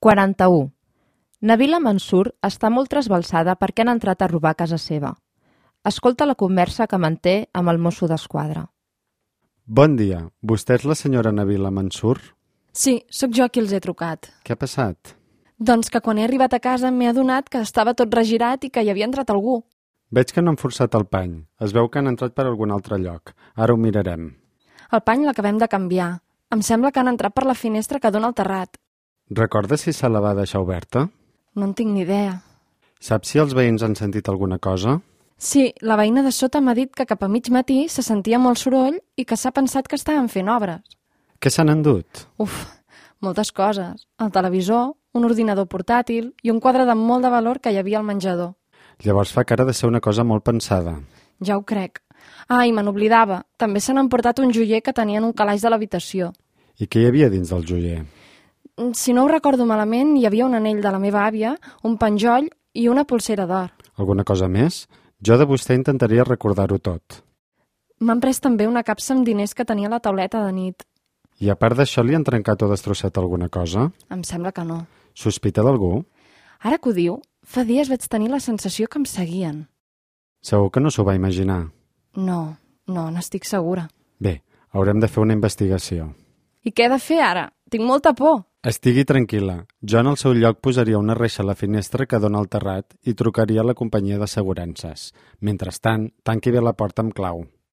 41. Nabila Mansur està molt trasbalsada perquè han entrat a robar a casa seva. Escolta la conversa que manté amb el mosso d'esquadra. Bon dia. Vostè és la senyora Nabila Mansur? Sí, sóc jo qui els he trucat. Què ha passat? Doncs que quan he arribat a casa m'he adonat que estava tot regirat i que hi havia entrat algú. Veig que no han forçat el pany. Es veu que han entrat per algun altre lloc. Ara ho mirarem. El pany l'acabem de canviar. Em sembla que han entrat per la finestra que dona al terrat. Recorda si se la va deixar oberta? No en tinc ni idea. Saps si els veïns han sentit alguna cosa? Sí, la veïna de sota m'ha dit que cap a mig matí se sentia molt soroll i que s'ha pensat que estaven fent obres. Què s'han endut? Uf, moltes coses. El televisor, un ordinador portàtil i un quadre de molt de valor que hi havia al menjador. Llavors fa cara de ser una cosa molt pensada. Ja ho crec. Ah, i me n'oblidava. També se n'han portat un joier que tenien un calaix de l'habitació. I què hi havia dins del joier? Si no ho recordo malament, hi havia un anell de la meva àvia, un penjoll i una polsera d'or. Alguna cosa més? Jo de vostè intentaria recordar-ho tot. M'han pres també una capsa amb diners que tenia a la tauleta de nit. I a part d'això li han trencat o destrossat alguna cosa? Em sembla que no. Sospita d'algú? Ara que ho diu, fa dies vaig tenir la sensació que em seguien. Segur que no s'ho va imaginar? No, n'estic segura. Bé, haurem de fer una investigació. I què he de fer ara? Tinc molta por. Estigui tranquil·la. Jo en el seu lloc posaria una reixa a la finestra que dona al terrat i trucaria a la companyia d'assegurances. Mentrestant, tanqui bé la porta amb clau.